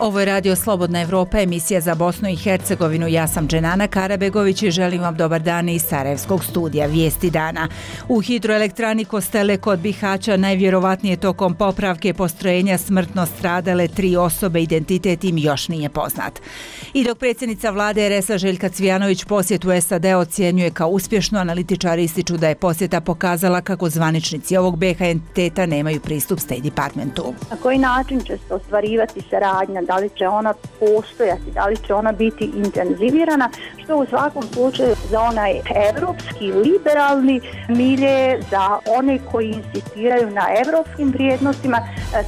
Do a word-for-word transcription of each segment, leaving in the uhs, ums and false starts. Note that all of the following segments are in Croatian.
Ovo je Radio Slobodna Evropa, emisija za Bosnu i Hercegovinu. Ja sam Dženana Karabegović i želim vam dobar dan iz Sarajevskog studija Vijesti dana. U hidroelektrani Kostele kod Bihaća najvjerovatnije tokom popravke postrojenja smrtno stradale tri osobe, identitet im još nije poznat. I dok predsjednica vlade er es a Željka Cvijanović posjetu es a de ocjenjuje kao uspješno, analitičari ističu da je posjeta pokazala kako zvaničnici ovog be ha entiteta nemaju pristup State Departmentu. Na koji način će se ostvarivati saradnja, da li će ona postojati, da li će ona biti intenzivirana, što u svakom slučaju za onaj evropski, liberalni milje, za one koji insistiraju na evropskim vrijednostima,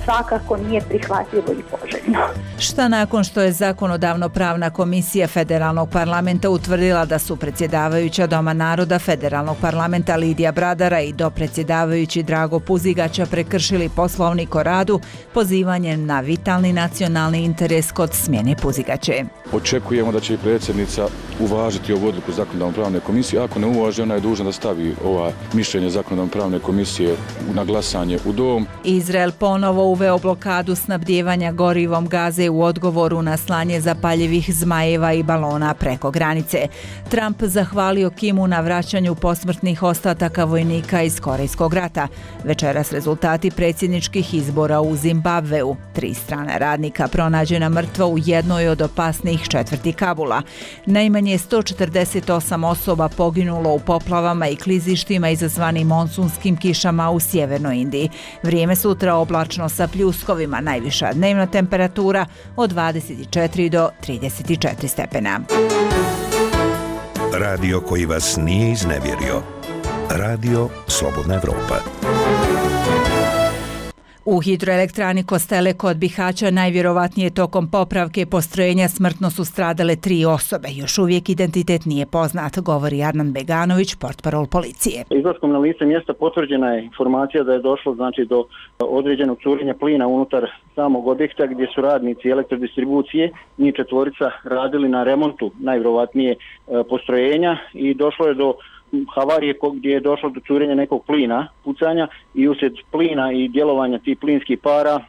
svakako nije prihvatljivo i poželjno. Šta nakon što je zakonodavno-pravna komisija Federalnog parlamenta utvrdila da su predsjedavajuća Doma naroda Federalnog parlamenta Lidija Bradara i dopredsjedavajući Drago Puzigaća prekršili poslovnik o radu pozivanjem na vitalni nacionalni interes kod smjene Puzigaće. Očekujemo da će i predsjednica uvažiti ovu odluku zakonodavno-pravne komisije. Ako ne uvaži, ona je dužna da stavi ova mišljenje zakonodavno-pravne komisije na glasanje u dom. Izrael ponovo uveo blokadu snabdijevanja gorivom Gaze u odgovoru na slanje zapaljivih zmajeva i balona preko granice. Trump zahvalio Kimu na vraćanju posmrtnih ostataka vojnika iz Korejskog rata. Večeras rezultati predsjedničkih izbora u Zimbabveu. Tri strana radnika pronađena mrtva u jednoj od opasnijih četvrti Kabula. Najmanje sto četrdeset osam osoba poginulo u poplavama i klizištima izazvanim monsunskim kišama u sjevernoj Indiji. Vrijeme sutra oblačno sa pljuskovima, najviša dnevna temperatura od dvadeset četiri do trideset četiri stepena. Radio koji vas nije iznevjerio. Radio Slobodna Evropa. U hidroelektrani Kostele kod Bihaća najvjerovatnije tokom popravke postrojenja smrtno su stradale tri osobe. Još uvijek identitet nije poznat, govori Arnan Beganović, portparol policije. Izlaskom na lice mjesta potvrđena je informacija da je došlo znači do određenog curenja plina unutar samog objekta gdje su radnici elektrodistribucije, njih četvorica, radili na remontu najvjerovatnije postrojenja i došlo je do havarije gdje je došlo do curenja nekog plina, pucanja, i uslijed plina i djelovanja tih plinskih para e,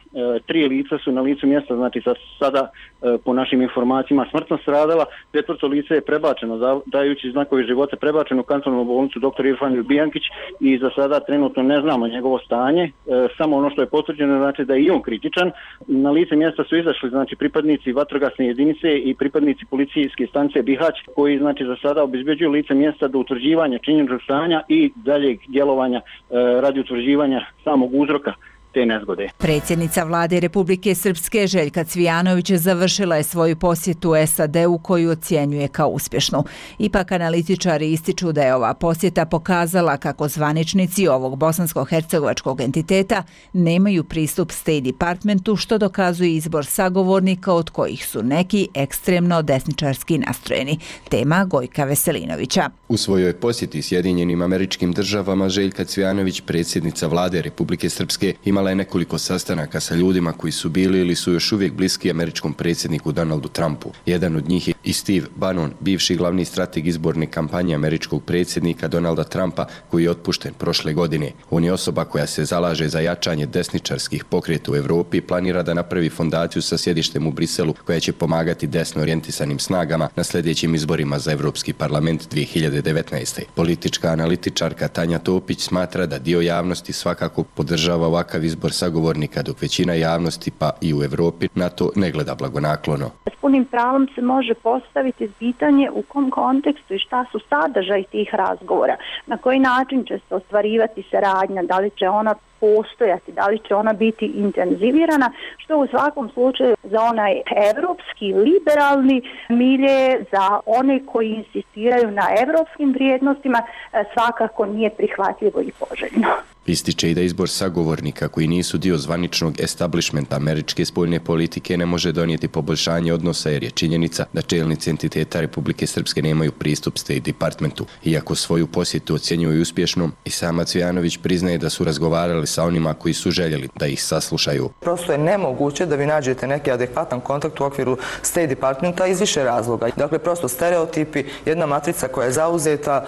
tri lica su na licu mjesta, znači za sada e, po našim informacijama smrtno stradala. Četvrto lice je prebačeno, dajući znakovi života, prebačeno u kantonalnu bolnicu doktor Irfan Bijankić i za sada trenutno ne znamo njegovo stanje, e, samo ono što je potvrđeno znači da je i on kritičan. Na lice mjesta su izašli znači pripadnici vatrogasne jedinice i pripadnici policijske stanice Bihać koji znači za sada obezbeđuju lice mjesta do utvrđivanja činjeničnog stanja i daljeg djelovanja e, radi utvrđivanja samog uzroka te nezgode. Predsjednica vlade Republike Srpske Željka Cvijanović završila je svoju posjetu es a de u koju ocjenjuje kao uspješnu. Ipak analitičari ističu da je ova posjeta pokazala kako zvaničnici ovog bosansko-hercegovačkog entiteta nemaju pristup State Departmentu, što dokazuje izbor sagovornika od kojih su neki ekstremno desničarski nastrojeni. Tema Gojka Veselinovića. U svojoj posjeti Sjedinjenim Američkim Državama Željka Cvijanović, predsjednica vlade Republike Srpske, ima Imala je nekoliko sastanaka sa ljudima koji su bili ili su još uvijek bliski američkom predsjedniku Donaldu Trumpu. Jedan od njih je i Steve Bannon, bivši glavni strateg izborne kampanje američkog predsjednika Donalda Trumpa, koji je otpušten prošle godine. On je osoba koja se zalaže za jačanje desničarskih pokreta u Evropi i planira da napravi fondaciju sa sjedištem u Briselu koja će pomagati desno orijentisanim snagama na sljedećim izborima za Evropski parlament dvije hiljade devetnaeste. Politička analitičarka Tanja Topić smatra da dio javnosti svakako podržava ovakav izbor sagovornika, dok većina javnosti pa i u Evropi na to ne gleda blagonaklono. S punim pravom se može postaviti pitanje u kom kontekstu i šta su sadržaj tih razgovora, na koji način će se ostvarivati saradnja, da li će ona postojati, da li će ona biti intenzivirana, što u svakom slučaju za onaj evropski, liberalni milje, za one koji insistiraju na evropskim vrijednostima, svakako nije prihvatljivo i poželjno. Ističe i da izbor sagovornika koji nisu dio zvaničnog establishmenta američke spoljne politike ne može donijeti poboljšanje odnosa, jer je činjenica da čelnici entiteta Republike Srpske nemaju pristup State Departmentu. Iako svoju posjetu ocjenjuju uspješnom, i sama Cvijanović priznaje da su razgovarali sa onima koji su željeli da ih saslušaju. Prosto je nemoguće da vi nađete neki adekvatan kontakt u okviru State Departmenta iz više razloga. Dakle, prosto stereotipi, jedna matrica koja je zauzeta,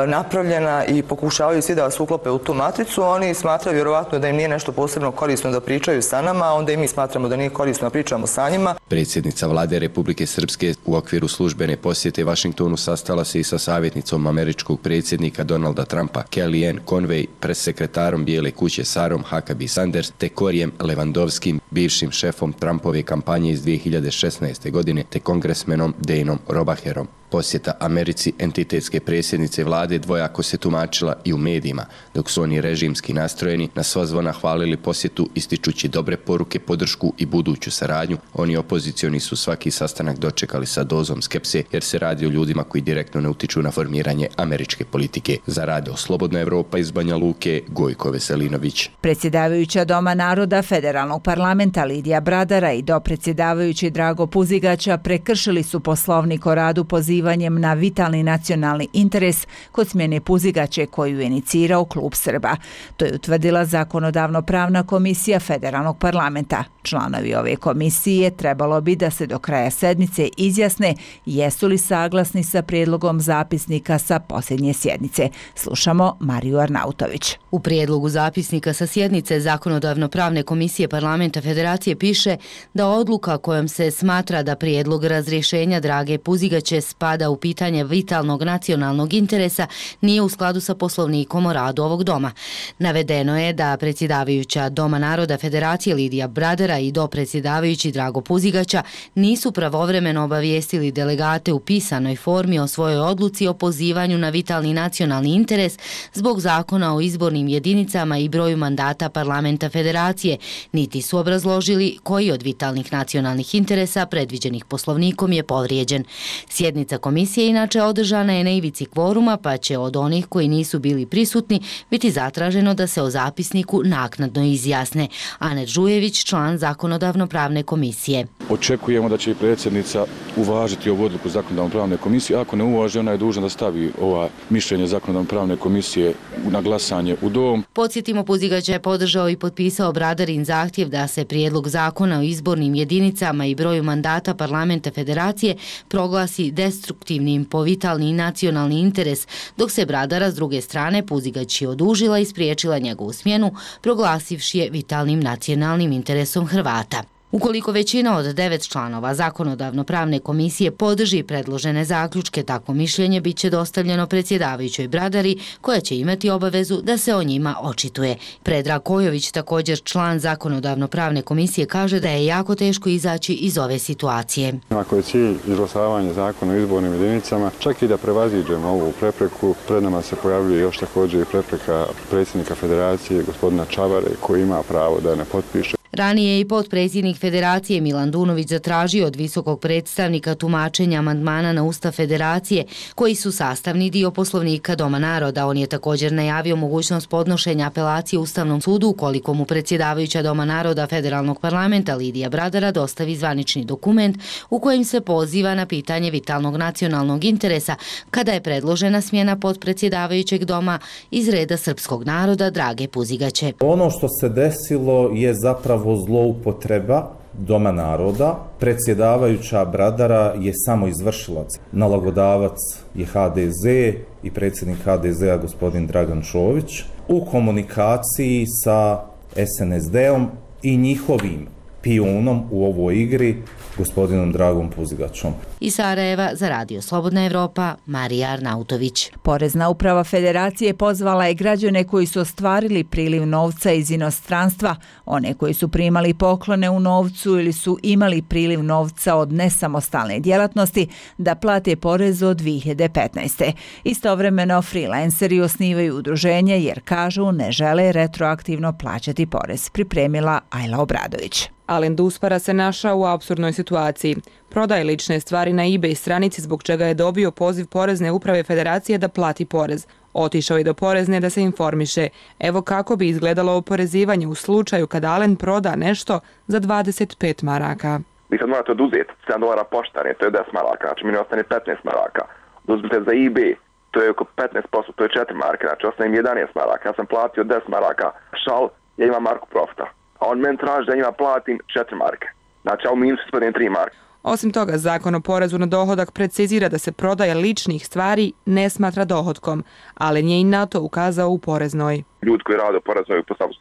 napravljena i pokušavaju svi da vas uklope u tu matricu, sjednicu, oni smatraju vjerovatno da im nije nešto posebno korisno da pričaju sa nama, a onda i mi smatramo da nije korisno da pričamo sa njima. Predsjednica vlade Republike Srpske u okviru službene posjete Vašingtonu sastala se i sa savjetnicom američkog predsjednika Donalda Trumpa Kellyanne Conway, pressekretarom Bijele kuće Sarom Huckabee Sanders te Korijem Lewandowskim, bivšim šefom Trumpove kampanje iz dvije hiljade šesnaeste. godine te kongresmenom Danom Robacherom. Posjeta Americi entitetske predsjednice vlade dvojako se tumačila i u medijima, dok su oni režimski nastrojeni na sva zvona hvalili posjetu ističući dobre poruke, podršku i buduću saradnju. Oni opozicioni su svaki sastanak dočekali sa dozom skepse jer se radi o ljudima koji direktno ne utiču na formiranje američke politike. Za Radio Slobodna Evropa iz Banja Luke, Gojko Veselinović. Predsjedavajuća Doma naroda Federalnog parlamenta Lidija Bradara i dopredsjedavajući Drago Puzigaća prekršili su poslovnik o radu pozivanjem na vitalni nacionalni interes kod smjene Puzigaće koju je inicirao Klub Srba. To je utvrdila Zakonodavno-pravna komisija Federalnog parlamenta. Članovi ove komisije trebalo bi da se do kraja sedmice izjasne jesu li saglasni sa prijedlogom zapisnika sa posljednje sjednice. Slušamo Mariju Arnautović. U prijedlogu zapisnika sa sjednice Zakonodavno-pravne komisije Parlamenta Federacije piše da odluka kojom se smatra da prijedlog razrješenja Drage Puzigaće spada u pitanje vitalnog nacionalnog interesa nije u skladu sa poslovnikom o radu ovog doma. Navedeno je da predsjedavajuća Doma naroda Federacije Lidija Bradara i dopredsjedavajući Drago Puzigaća nisu pravovremeno obavijestili delegate u pisanoj formi o svojoj odluci o pozivanju na vitalni nacionalni interes zbog zakona o izbornim jedinicama i broju mandata Parlamenta Federacije, niti su obrazložili koji od vitalnih nacionalnih interesa predviđenih poslovnikom je povrijeđen. Sjednica komisije inače održana je na ivici kvoruma, pa će od onih koji nisu bili prisutni biti zatraženo da se o zapisniku naknadno izjasne. Anet Žujević, član Zakonodavno-pravne komisije. Očekujemo da će i predsjednica uvažiti ovu odluku Zakonodavno-pravne komisije. Ako ne uvaži, ona je dužna da stavi ova mišljenje Zakonodavno-pravne komisije na glasanje u dom. Podsjetimo, Puzigaća je podržao i potpisao Bradarin zahtjev da se prijedlog zakona o izbornim jedinicama i broju mandata Parlamenta Federacije proglasi destruktivnim po vitalni i nacionalni interes, dok se Bradara s druge strane Puzigaći odužila i spriječila njegovu smjenu, proglasivši je vitalnim nacionalnim interesom Hrvata. Ukoliko većina od devet članova Zakonodavno-pravne komisije podrži predložene zaključke, takvo mišljenje bit će dostavljeno predsjedavajućoj Bradari, koja će imati obavezu da se o njima očituje. Predrag Kojović, također član Zakonodavno-pravne komisije, kaže da je jako teško izaći iz ove situacije. Ako je cilj izglasavanje zakona o izbornim jedinicama, čak i da prevaziđemo ovu prepreku, pred nama se pojavljuje još također i prepreka predsjednika Federacije, gospodina Čavare, koji ima pravo da ne potpiše. Ranije je i potpredsjednik Federacije Milan Dunović zatražio od visokog predstavnika tumačenja amandmana na Ustav Federacije, koji su sastavni dio poslovnika Doma naroda. On je također najavio mogućnost podnošenja apelacije Ustavnom sudu ukoliko mu predsjedavajuća Doma naroda Federalnog parlamenta Lidija Bradara dostavi zvanični dokument u kojem se poziva na pitanje vitalnog nacionalnog interesa kada je predložena smjena potpredsjedavajućeg doma iz reda srpskog naroda Drage Puzigaće. Ono što se desilo je zapravo zloupotreba Doma naroda. Predsjedavajuća Bradara je samo izvršilac. Nalagodavac je ha de ze i predsjednik ha de zea gospodin Dragan Čović u komunikaciji sa es en es de-om i njihovim pijunom u ovoj igri, gospodinom Dragom Puzigaćom. Iz Sarajeva za Radio Slobodna Evropa, Marija Arnautović. Porezna uprava Federacije pozvala je građane koji su ostvarili priliv novca iz inostranstva, one koji su primali poklone u novcu ili su imali priliv novca od nesamostalne djelatnosti, da plate porez od dvije hiljade petnaeste. Istovremeno, freelanceri osnivaju udruženje jer kažu ne žele retroaktivno plaćati porez, pripremila Ajla Obradović. Alen Duspara se našao u apsurdnoj situaciji. Prodaje lične stvari na eBay stranici zbog čega je dobio poziv Porezne uprave Federacije da plati porez. Otišao je do Porezne da se informiše. Evo kako bi izgledalo oporezivanje u slučaju kada Alen proda nešto za dvadeset pet maraka. Vi sad morate oduzeti sedam dolara poštane, to je deset maraka, znači mi ne ostane petnaest maraka. Uzmite za eBay, to je oko petnaest posto, to je četiri marke, znači ostane im jedanaest maraka. Ja sam platio deset maraka, šal, ja imam marku profita. A on meni traži da njima platim četiri marke. Znači, a u minusu ispadne tri marke. Osim toga, zakon o porezu na dohodak precizira da se prodaja ličnih stvari ne smatra dohodkom, ali nije i na to ukazao u Poreznoj. Ljudi koji rade u Poreznoj po samu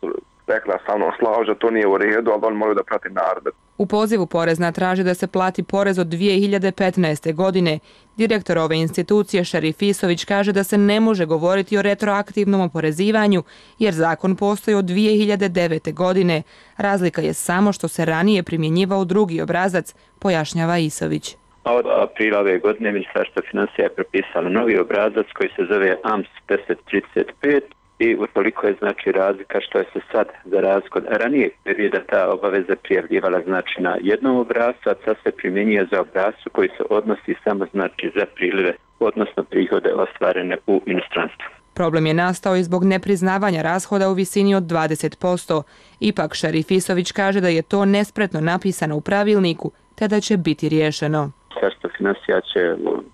rekla sa mnom slažu, to nije u redu, ali oni moraju da prati naredbe. U pozivu Porezna traži da se plati porez od dvije hiljade petnaeste. godine. Direktor ove institucije Šerif Isović kaže da se ne može govoriti o retroaktivnom oporezivanju jer zakon postoji od dvije hiljade devete. godine. Razlika je samo što se ranije primjenjivao drugi obrazac, pojašnjava Isović. Od aprila ove godine Ministarstvo financija je propisalo novi obrazac koji se zove A M S deset trideset pet i utoliko je znači razlika što je se sad za razliku od ranije perioda ta obaveza prijavljivala znači na jednom obrascu, a sad se primjenjuje za obrascu koji se odnosi samo znači za prilive, odnosno prihode ostvarene u inostranstvu. Problem je nastao i zbog nepriznavanja rashoda u visini od dvadeset posto. Ipak Šerif Isović kaže da je to nespretno napisano u pravilniku, te da će biti riješeno. Ministarstvo financija će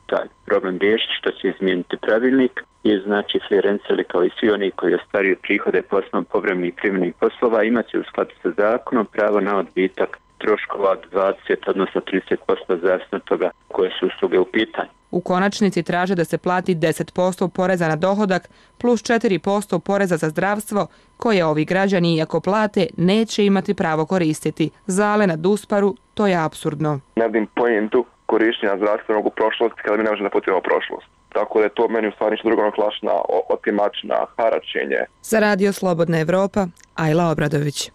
taj problem riješiti što će izmijeniti pravilnik i znači freelanceri kao i svi oni koji ostvaruju prihode po osnovu povremenih privremenih poslova imaće u skladu sa zakonom pravo na odbitak troškova od dvadeset odnosno trideset posto zavisno od toga koje su usluge u pitanju. U konačnici traže da se plati deset posto poreza na dohodak plus četiri posto poreza za zdravstvo koje ovi građani iako plate neće imati pravo koristiti. Za Alena Dusparu to je apsurdno. Ne vidim pojentu korištenja zdravstvenog u prošlosti kada mi ne možemo da putimo prošlost. Tako da je to meni u stvari ništa drugo naklašna, otimačna, haračenje. Za Radio Slobodna Evropa, Ajla Obradović.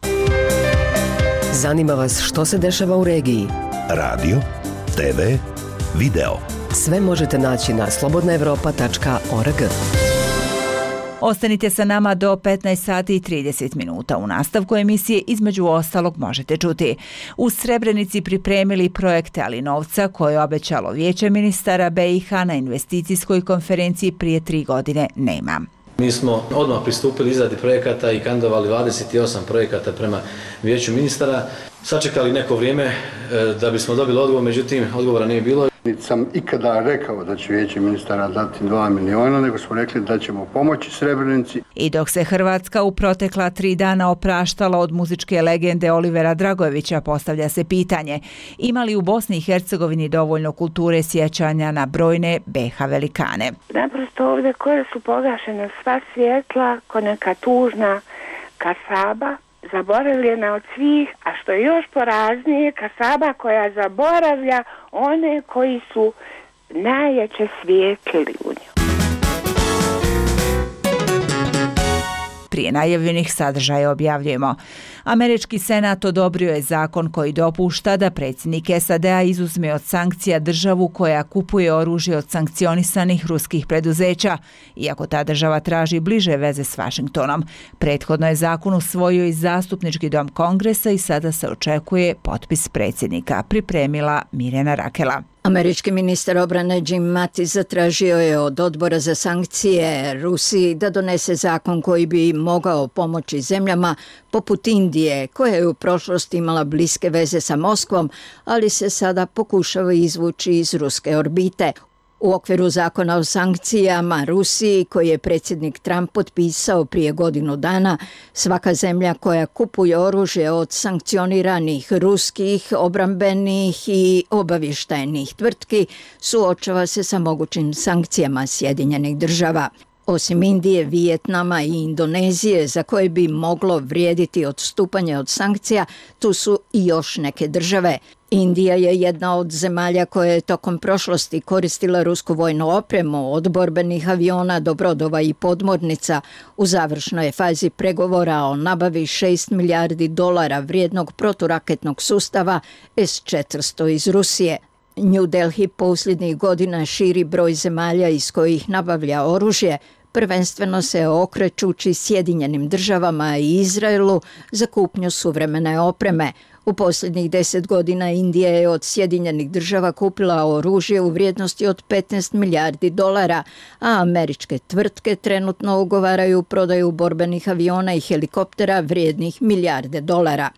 Zanima vas što se dešava u regiji? Radio, te ve, video. Sve možete naći na slobodna evropa tačka org. Ostanite sa nama do petnaest sati i trideset minuta. U nastavku emisije između ostalog možete čuti. U Srebrenici pripremili projekte Ali novca koje je obećalo Vijeće ministara be i ha na investicijskoj konferenciji prije tri godine nema. Mi smo odmah pristupili izradi projekata i kandidovali dvadeset osam projekata prema Vijeću ministara. Sačekali neko vrijeme da bismo dobili odgovor, međutim odgovora nije bilo. Niti sam ikada rekao da će Vijeće ministara dati dva miliona, nego smo rekli da ćemo pomoći Srebrenici. I dok se Hrvatska u protekla tri dana opraštala od muzičke legende Olivera Dragojevića, postavlja se pitanje ima li u Bosni i Hercegovini dovoljno kulture sjećanja na brojne be ha velikane. Naprosto ovdje koje su pogašene sva svjetla, ko neka tužna kasaba, zaboravljena od svih, a što je još poraznije, kasaba koja zaboravlja one koji su najjače svijetlili u njoj. Prije najavljenih sadržaja objavljujemo. Američki senat odobrio je zakon koji dopušta da predsjednik es a de a izuzme od sankcija državu koja kupuje oružje od sankcionisanih ruskih preduzeća, iako ta država traži bliže veze s Vašingtonom. Prethodno je zakon usvojio i zastupnički dom Kongresa i sada se očekuje potpis predsjednika, pripremila Mirjana Rakela. Američki ministar obrane Jim Mattis zatražio je od odbora za sankcije Rusiji da donese zakon koji bi mogao pomoći zemljama poput Indije, koja je u prošlosti imala bliske veze sa Moskvom, ali se sada pokušava izvući iz ruske orbite. U okviru zakona o sankcijama Rusiji, koji je predsjednik Trump potpisao prije godinu dana, svaka zemlja koja kupuje oružje od sankcioniranih ruskih, obrambenih i obavještajnih tvrtki suočava se sa mogućim sankcijama Sjedinjenih država. Osim Indije, Vijetnama i Indonezije, za koje bi moglo vrijediti odstupanje od sankcija, tu su i još neke države. Indija je jedna od zemalja koja je tokom prošlosti koristila rusku vojnu opremu od borbenih aviona do brodova i podmornica. U završnoj fazi pregovora o nabavi šest milijardi dolara vrijednog proturaketnog sustava es četiristo iz Rusije. New Delhi posljednjih godina širi broj zemalja iz kojih nabavlja oružje, prvenstveno se okrećući Sjedinjenim državama i Izraelu za kupnju suvremene opreme. U posljednjih deset godina Indija je od Sjedinjenih država kupila oružje u vrijednosti od petnaest milijardi dolara, a američke tvrtke trenutno ugovaraju prodaju borbenih aviona i helikoptera vrijednih milijarde dolara.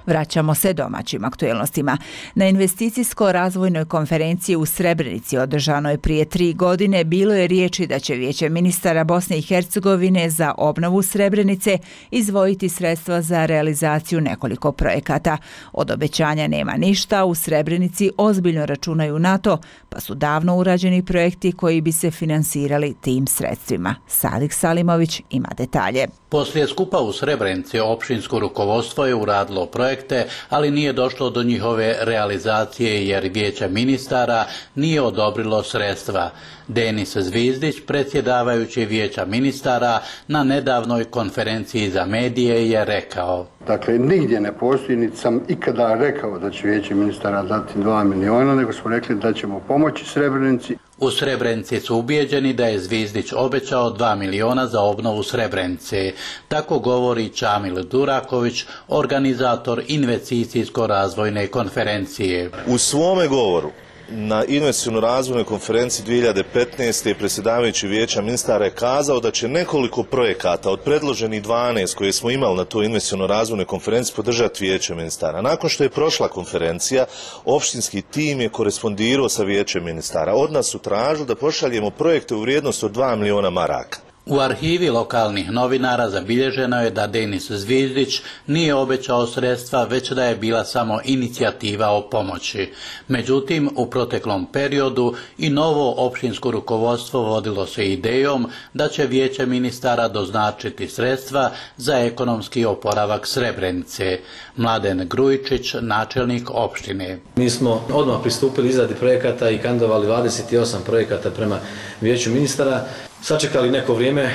Vraćamo se domaćim aktuelnostima. Na investicijsko-razvojnoj konferenciji u Srebrenici održanoj prije tri godine bilo je riječi da će Vijeće ministara Bosne i Hercegovine za obnovu Srebrenice izdvojiti sredstva za realizaciju nekoliko projekata. Od obećanja nema ništa, u Srebrenici ozbiljno računaju na to, pa su davno urađeni projekti koji bi se finansirali tim sredstvima. Sadik Salimović ima detalje. Poslije skupa u Srebrenici općinsko rukovodstvo je uradilo projekte, ali nije došlo do njihove realizacije jer Vijeće ministara nije odobrilo sredstva. Denis Zvizdić, predsjedavajući Vijeća ministara, na nedavnoj konferenciji za medije je rekao: Dakle, nigdje ne postoji, niti sam ikada rekao da će Vijeće ministara dati dva miliona, nego smo rekli da ćemo pomoći Srebrenici. U Srebrenici su ubijeđeni da je Zvizdić obećao dva miliona za obnovu Srebrenice. Tako govori Čamil Duraković, organizator investicijsko-razvojne konferencije. U svome govoru na investicijskoj razvojnoj konferenciji dvije hiljade petnaeste. predsjedavajući Vijeća ministara je kazao da će nekoliko projekata od predloženih dvanaest koje smo imali na toj investicijskoj razvojnoj konferenciji podržati Vijeće ministara. Nakon što je prošla konferencija, opštinski tim je korespondirao sa Vijećem ministara. Od nas su tražili da pošaljemo projekte u vrijednosti od dva miliona maraka. U arhivi lokalnih novinara zabilježeno je da Denis Zvizdić nije obećao sredstva, već da je bila samo inicijativa o pomoći. Međutim, u proteklom periodu i novo općinsko rukovodstvo vodilo se idejom da će Vijeće ministara doznačiti sredstva za ekonomski oporavak Srebrenice. Mladen Grujičić, načelnik opštine. Mi smo odmah pristupili izradi projekata i kandidovali dvadeset osam projekata prema Vijeću ministara. Sačekali neko vrijeme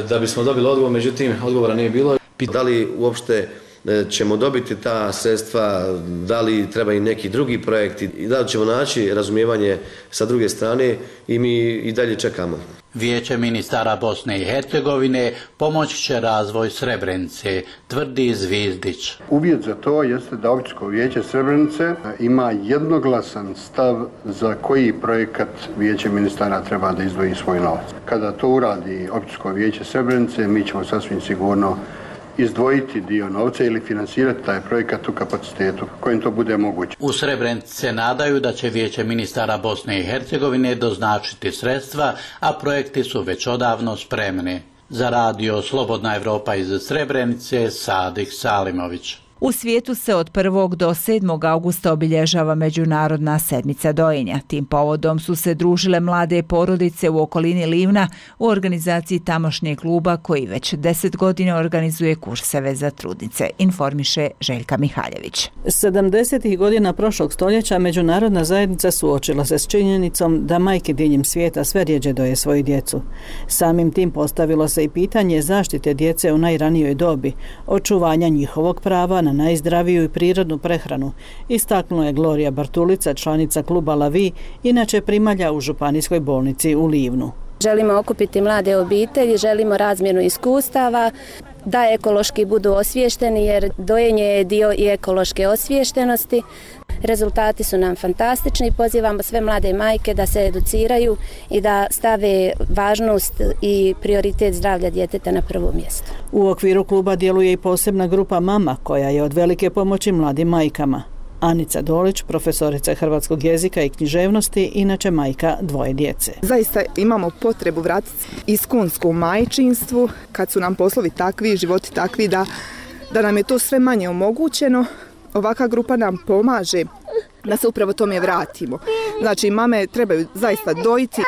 da bismo dobili odgovor, međutim odgovora nije bilo. Da li uopšte ćemo dobiti ta sredstva, da li treba i neki drugi projekti i da li ćemo naći razumijevanje sa druge strane i mi i dalje čekamo. Vijeće ministara Bosne i Hercegovine pomoći će razvoj Srebrenice, tvrdi Zvizdić. Uvjet za to jeste da općinsko vijeće Srebrenice ima jednoglasan stav za koji projekat Vijeće ministara treba da izdvoji svoj novac. Kada to uradi općinsko vijeće Srebrenice, mi ćemo sasvim sigurno izdvojiti dio novca ili finansirati taj projekat u kapacitetu kojim to bude moguće. U Srebrenici se nadaju da će Vijeće ministara Bosne i Hercegovine doznačiti sredstva, a projekti su već odavno spremni. Za radio Slobodna Evropa iz Srebrenice, Sadik Salimović. U svijetu se od prvog do sedmog augusta obilježava Međunarodna sedmica dojenja. Tim povodom su se družile mlade porodice u okolini Livna u organizaciji tamošnjeg kluba koji već deset godina organizuje kurseve za trudnice, informiše Željka Mihaljević. sedamdesetih godina prošlog stoljeća međunarodna zajednica suočila se s činjenicom da majke diljem svijeta sve rjeđe doje svoju djecu. Samim tim postavilo se i pitanje zaštite djece u najranijoj dobi, očuvanja njihovog prava na najzdraviju i prirodnu prehranu, istaknula je Gloria Bartulica, članica kluba La Vie, inače primalja u županijskoj bolnici u Livnu. Želimo okupiti mlade obitelji, želimo razmjenu iskustava, da ekološki budu osviješteni jer dojenje je dio i ekološke osviještenosti. Rezultati su nam fantastični, pozivamo sve mlade majke da se educiraju i da stave važnost i prioritet zdravlja djeteta na prvo mjesto. U okviru kluba djeluje i posebna grupa Mama koja je od velike pomoći mladim majkama. Anica Dolić, profesorica hrvatskog jezika i književnosti, inače majka dvoje djece. Zaista imamo potrebu vratiti iskunsku majčinstvu kad su nam poslovi takvi, životi takvi da, da nam je to sve manje omogućeno. Ovaka grupa nam pomaže da se upravo tome vratimo. Znači, mame trebaju zaista dojiti,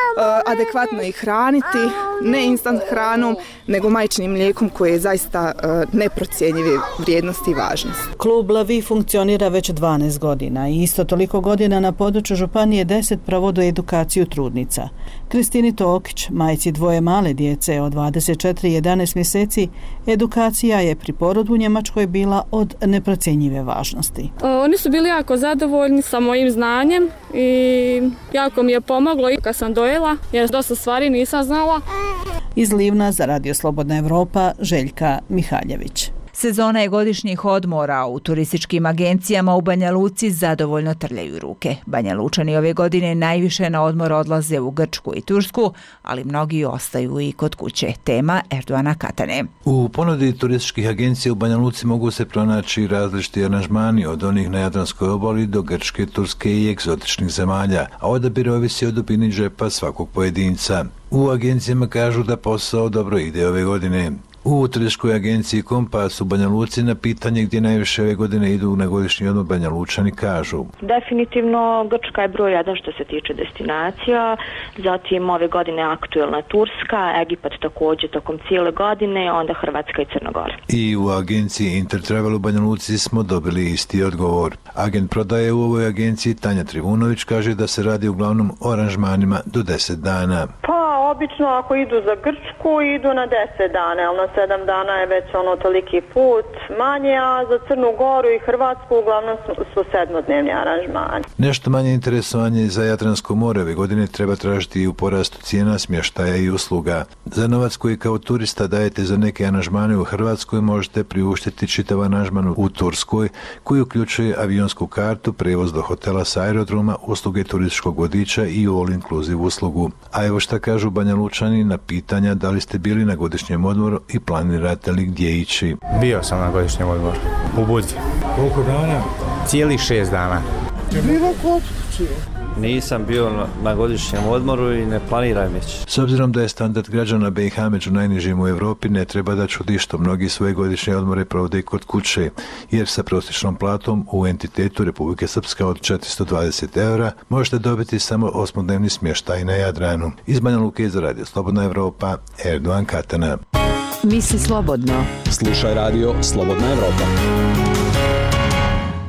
adekvatno ih hraniti, ne instant hranom, nego majčinim mlijekom koje je zaista neprocjenjive vrijednosti i važnosti. Klub La Vie funkcionira već dvanaest godina i isto toliko godina na području županije deset provode edukaciju trudnica. Kristini Tokić, majci dvoje male djece od dvadeset četiri i jedanaest mjeseci, edukacija je pri porodu u Njemačkoj bila od neprocjenjive važnosti. Oni su bili jako zadovoljni sa mojim znanjem i jako mi je pomoglo i kad sam dojela, jer dosta stvari nisam znala. Iz Livna za radio Slobodna Evropa, Željka Mihaljević. Sezona je godišnjih odmora, u turističkim agencijama u Banja Luci zadovoljno trljaju ruke. Banja Lučani ove godine najviše na odmor odlaze u Grčku i Tursku, ali mnogi ostaju i kod kuće. Tema Erdoana Katane. U ponudi turističkih agencija u Banja Luci mogu se pronaći različiti aranžmani od onih na Jadranskoj obali do Grčke, Turske i egzotičnih zemalja, a odabir ovisi o dubini džepa svakog pojedinca. U agencijama kažu da posao dobro ide ove godine. U turističkoj agenciji Kompas u Banja Luci na pitanje gdje najviše ove godine idu na godišnji odmor Banja Lučani kažu. Definitivno Grčka je broj jedan što se tiče destinacija, zatim ove godine aktuelna Turska, Egipat također tokom cijele godine, onda Hrvatska i Crna Gora. I u agenciji Intertravel u Banja Luci smo dobili isti odgovor. Agent prodaje u ovoj agenciji Tanja Trivunović kaže da se radi uglavnom o aranžmanima do deset dana. Pa, obično ako idu za Grčku, idu na deset dana, ali na sedam dana je već ono toliki put manje, a za Crnu Goru i Hrvatsku uglavnom su, su sedmodnevni aranžmani. Nešto manje interesovanje za Jadransko more ove godine treba tražiti i u porastu cijena smještaja i usluga. Za novac koji kao turista dajete za neke aranžmane u Hrvatskoj možete priuštiti čitav aranžman u Turskoj koji uključuje avionsku kartu, prevoz do hotela s aerodroma, usluge turističkog vodiča i all inclusive uslugu. A evo šta kažu Banja Lučani na pitanja da li ste bili na godišnjem odmoru i planirate li gdje ići. Bio sam na godišnjem odmoru u Budvi. Koliko dana? Cijeli šest dana. Bilo kod kuće. Nisam bio na, na godišnjem odmoru i ne planiram ići. S obzirom da je standard građana B i H među najnižim u Europi, ne treba da čudi što mnogi svoje godišnje odmore provode kod kuće, jer sa prosječnom platom u entitetu Republike Srpska od četiristo dvadeset eura možete dobiti samo osmodnevni smještaj na Jadranu. Iz Banja Luke za Radio Slobodna Evropa, Erdoan Katana. Misli slobodno. Slušaj Radio Slobodna Evropa.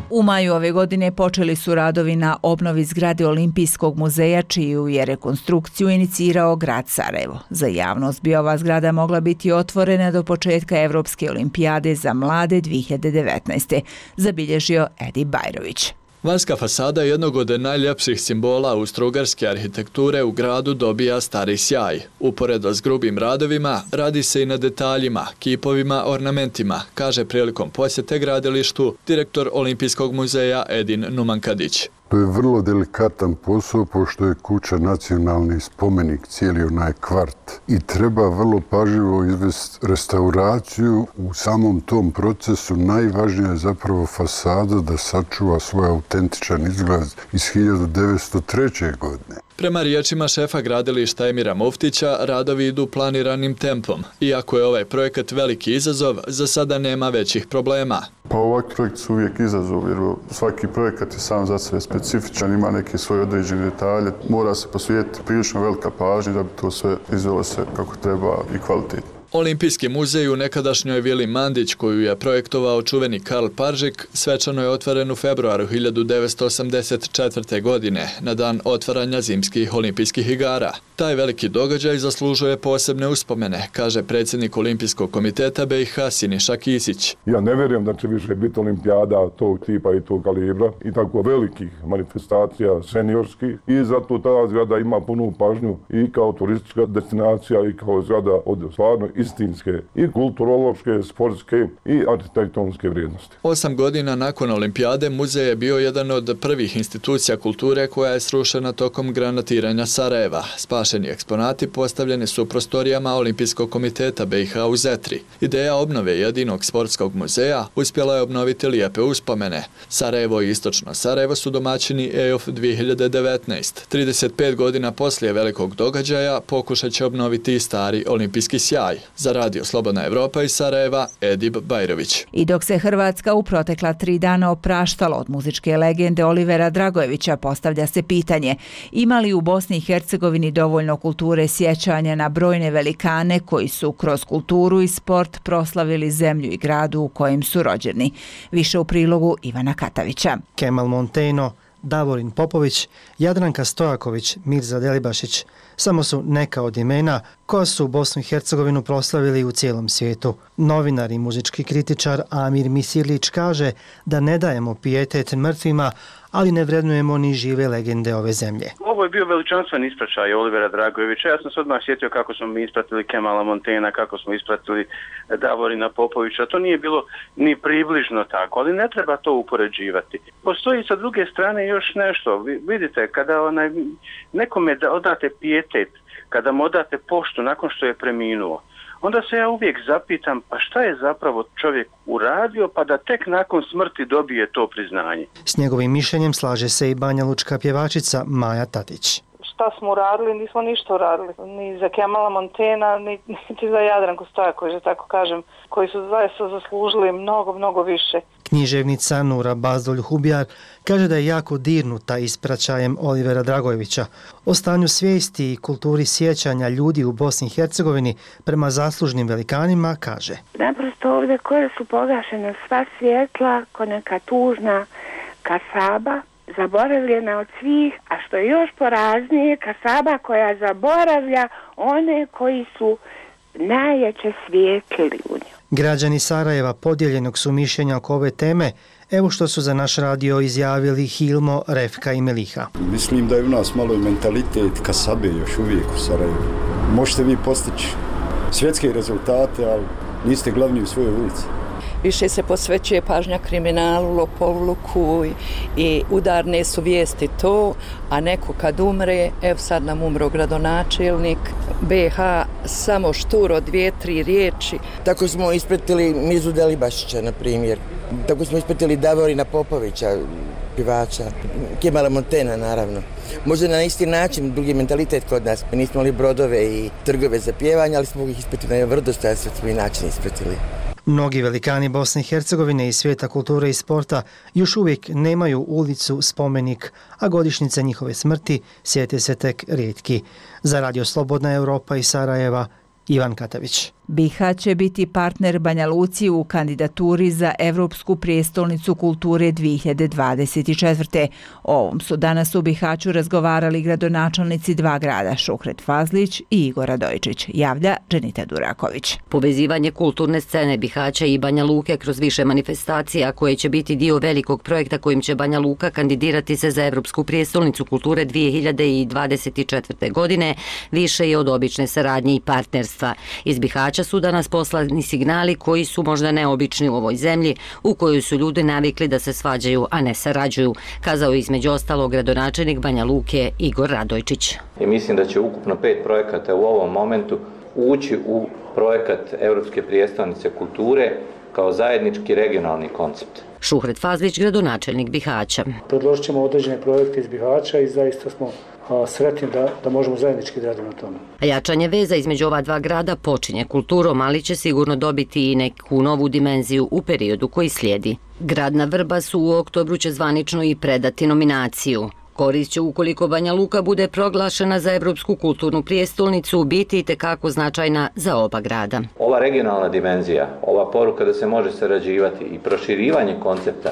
U maju ove godine počeli su radovi na obnovi zgrade Olimpijskog muzeja, čiju je rekonstrukciju inicirao grad Sarajevo. Za javnost bi ova zgrada mogla biti otvorena do početka Evropske olimpijade za mlade dvije hiljade devetnaeste. zabilježio Edi Bajrović. Vanjska fasada jednog od najljepših simbola austro-ugarske arhitekture u gradu dobija stari sjaj. Uporedo s grubim radovima, radi se i na detaljima, kipovima, ornamentima, kaže prilikom posjete gradilištu direktor Olimpijskog muzeja Edin Numankadić. To je vrlo delikatan posao, pošto je kuća nacionalni spomenik, cijeli onaj kvart. I treba vrlo pažljivo izvesti restauraciju. U samom tom procesu najvažnija je zapravo fasada da sačuva svoj autentičan izgled iz hiljadu devetsto treće. godine. Prema riječima šefa gradilišta Emira Muftića, radovi idu planiranim tempom. Iako je ovaj projekat veliki izazov, za sada nema većih problema. Pa ovakvi projekti su uvijek izazov, jer svaki projekat je sam za sebe specifičan, ima neke svoje određene detalje. Mora se posvetiti prilično velika pažnja da bi to sve izvelo se kako treba i kvalitetno. Olimpijski muzej u nekadašnjoj vili Mandić, koju je projektovao čuveni Karl Paržik, svečano je otvoren u februaru hiljadu devetsto osamdeset četvrte. godine, na dan otvaranja zimskih olimpijskih igara. Taj veliki događaj zaslužuje posebne uspomene, kaže predsjednik Olimpijskog komiteta B i H Siniša Kisić. Ja ne vjerujem da će više biti olimpijada tog tipa i tog kalibra i tako velikih manifestacija seniorskih i zato ta zgrada ima punu pažnju i kao turistička destinacija i kao zgrada od stvarno istinske i kulturološke, sportske i arhitektonske vrijednosti. Osam godina nakon olimpijade muzej je bio jedan od prvih institucija kulture koja je srušena tokom granatiranja Sarajeva. Spašeni eksponati postavljeni su u prostorijama Olimpijskog komiteta B i H u Zetri. Ideja obnove jedinog sportskog muzeja uspjela je obnoviti lijepe uspomene. Sarajevo i Istočno Sarajevo su domaćini E O F dvije hiljade devetnaeste. trideset pet godina poslije velikog događaja pokušat će obnoviti i stari olimpijski sjaj. Za Radio Slobodna Evropa iz Sarajeva, Edib Bajrović. I dok se Hrvatska u protekla tri dana opraštala od muzičke legende Olivera Dragojevića, postavlja se pitanje ima li u Bosni i Hercegovini dovoljno kulture sjećanja na brojne velikane koji su kroz kulturu i sport proslavili zemlju i gradu u kojem su rođeni. Više u prilogu Ivana Katavića. Kemal Monteno, Davorin Popović, Jadranka Stojaković, Mirza Delibašić samo su neka od imena koja su Bosnu i Hercegovinu proslavili u cijelom svijetu. Novinar i muzički kritičar Amir Misilić kaže da ne dajemo pijetet mrtvima, ali ne vrednujemo ni žive legende ove zemlje. Ovo je bio veličanstven ispraćaj Olivera Dragojevića. Ja sam se odmah sjetio kako smo mi ispratili Kemala Montena, kako smo ispratili Davorina Popovića. To nije bilo ni približno tako, ali ne treba to upoređivati. Postoji sa druge strane još nešto. Vidite, kada onaj, nekome odate pijetet, kada mu odate poštu nakon što je preminuo, onda se ja uvijek zapitam, pa šta je zapravo čovjek uradio pa da tek nakon smrti dobije to priznanje. S njegovim mišljenjem slaže se i banjalučka pjevačica Maja Tatić. Šta smo uradili? Nismo ništa uradili. Ni za Kemala Montena, ni, niti za Jadranku Stojaković, da tako kažem, koji su zaista zaslužili mnogo, mnogo više. Književnica Nura Bazdolj-Hubjar kaže da je jako dirnuta ispraćajem Olivera Dragojevića. O stanju svijesti i kulturi sjećanja ljudi u Bosni i Hercegovini prema zaslužnim velikanima kaže: naprosto ovdje koje su pogašena sva svjetla, ko neka tužna kasaba, zaboravljena od svih, a što je još poraznije, kasaba koja zaboravlja one koji su najjače svijetlili u nju. Građani Sarajeva podijeljenog su mišljenja oko ove teme. Evo što su za naš radio izjavili Hilmo, Refka i Meliha. Mislim da je u nas malo i mentalitet kasabe još uvijek u Sarajevu. Možete vi postići svjetske rezultate, ali niste glavni u svojoj ulici. Više se posvećuje pažnja kriminalu, lopovluku i, i udarne su vijesti to, a neko kad umre, evo sad nam umro gradonačelnik be ha, samo šturo dvije, tri riječi. Tako smo ispratili Mirzu Delibašića, na primjer. Tako smo ispratili Davorina Popovića, pjevača, Kemala Montena, naravno. Možda na isti način, drugi mentalitet kod nas. Mi nismo imali brodove i trgove za pjevanje, ali smo ih ispratili na jedan vrdostojanstven način ispratili. Mnogi velikani Bosne i Hercegovine i svijeta kulture i sporta još uvijek nemaju ulicu, spomenik, a godišnjice njihove smrti sjete se tek rijetki. Za Radio Slobodna Europa iz Sarajeva, Ivan Katavić. Bihać će biti partner Banja Luci u kandidaturi za Evropsku prijestolnicu kulture dvije hiljade dvadeset četvrte. O ovom su danas u Bihaću razgovarali gradonačelnici dva grada, Šuhret Fazlić i Igor Radojičić, javlja Dženita Duraković. Povezivanje kulturne scene Bihaća i Banja Luke kroz više manifestacija koje će biti dio velikog projekta kojim će Banja Luka kandidirati se za Evropsku prijestolnicu kulture dvije hiljade dvadeset četvrte. godine više je od obične saradnje i partnerstva. Iz Bihaća su danas poslani signali koji su možda neobični u ovoj zemlji u kojoj su ljudi navikli da se svađaju, a ne sarađuju, kazao je između ostalog gradonačelnik Banja Luke Igor Radojčić. I mislim da će ukupno pet projekata u ovom momentu ući u projekat Evropske prijestolnice kulture kao zajednički regionalni koncept. Šuhret Fazlić, gradonačelnik Bihaća. Predložit ćemo određene projekte iz Bihaća i zaista smo sretni da, da možemo zajednički raditi na tome. A jačanje veza između ova dva grada počinje kulturom, ali će sigurno dobiti i neku novu dimenziju u periodu koji slijedi. Grad na Vrbasu u oktobru će zvanično i predati nominaciju. Korist će, ukoliko Banja Luka bude proglašena za Evropsku kulturnu prijestolnicu, biti itekako značajna za oba grada. Ova regionalna dimenzija, ova poruka da se može sarađivati i proširivanje koncepta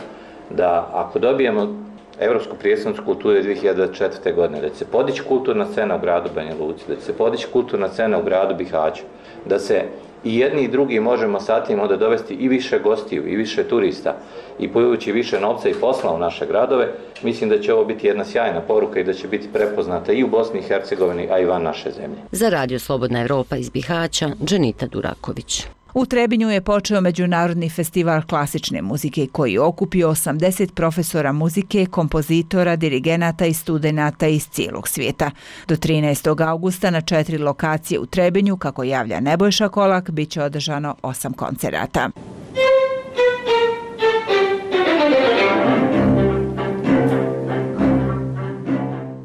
da ako dobijemo Evropsku prijestolnicu kulture dvije hiljade četvrte. godine, da će se podići kulturna scena u gradu Banja Luci, da će se podići kulturna scena u gradu Bihaću, da se i jedni i drugi možemo sa tim onda dovesti i više gostiju i više turista i povući više novca i posla u naše gradove, mislim da će ovo biti jedna sjajna poruka i da će biti prepoznata i u Bosni i Hercegovini, a i van naše zemlje. Za Radio Slobodna Evropa iz Bihaća, Dženita Duraković. U Trebinju je počeo Međunarodni festival klasične muzike koji je okupio osamdeset profesora muzike, kompozitora, dirigenata i studenata iz cijelog svijeta. Do trinaestog augusta na četiri lokacije u Trebinju, kako javlja Nebojša Kolak, bit će održano osam koncerata.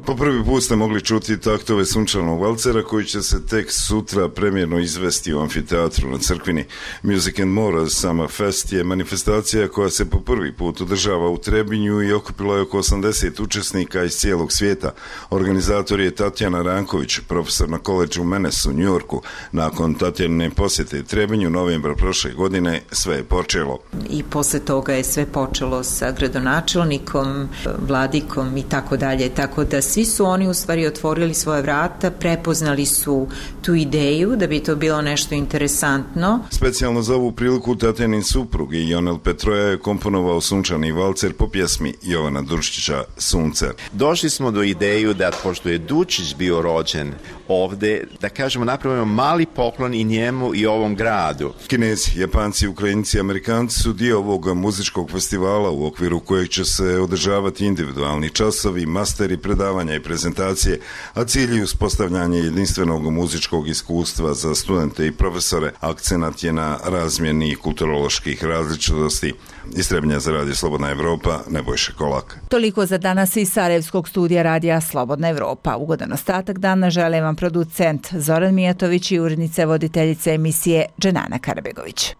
Po prvi put ste mogli čuti taktove Sunčanog valcera koji će se tek sutra premjerno izvesti u amfiteatru na Crkvini. Music and More Summer Fest je manifestacija koja se po prvi put održava u Trebinju i okupila je oko osamdeset učesnika iz cijelog svijeta. Organizator je Tatjana Ranković, profesor na koledžu Menes u Njujorku. Nakon Tatjanine posjete Trebinju novembra prošle godine sve je počelo. I posle toga je sve počelo sa gradonačelnikom, vladikom i tako dalje, tako da svi su oni u stvari otvorili svoje vrata, prepoznali su tu ideju da bi to bilo nešto interesantno. Specijalno za ovu priliku Tatjanin suprug i Jonel Petroja je komponovao Sunčani valcer po pjesmi Jovana Durčića Sunce. Došli smo do ideju da, pošto je Dučić bio rođen ovde, da kažemo napravimo mali poklon i njemu i ovom gradu. Kinezi, Japanci, Ukrajinci i Amerikanci su dio ovog muzičkog festivala u okviru kojeg će se održavati individualni časovi, masteri, predavanja i prezentacije, a cilj je uspostavljanje jedinstvenog muzičkog iskustva za studente i profesore. Akcenat je na razmjeni kulturoloških različitosti. Iz Trebnja za Radio Slobodna Evropa, Nebojša Kolak. Toliko za danas iz Sarajevskog studija Radija Slobodna Evropa. Ugodan ostatak dana žele vam producent Zoran Mijatović i urednica voditeljice emisije Dženana Karabegović.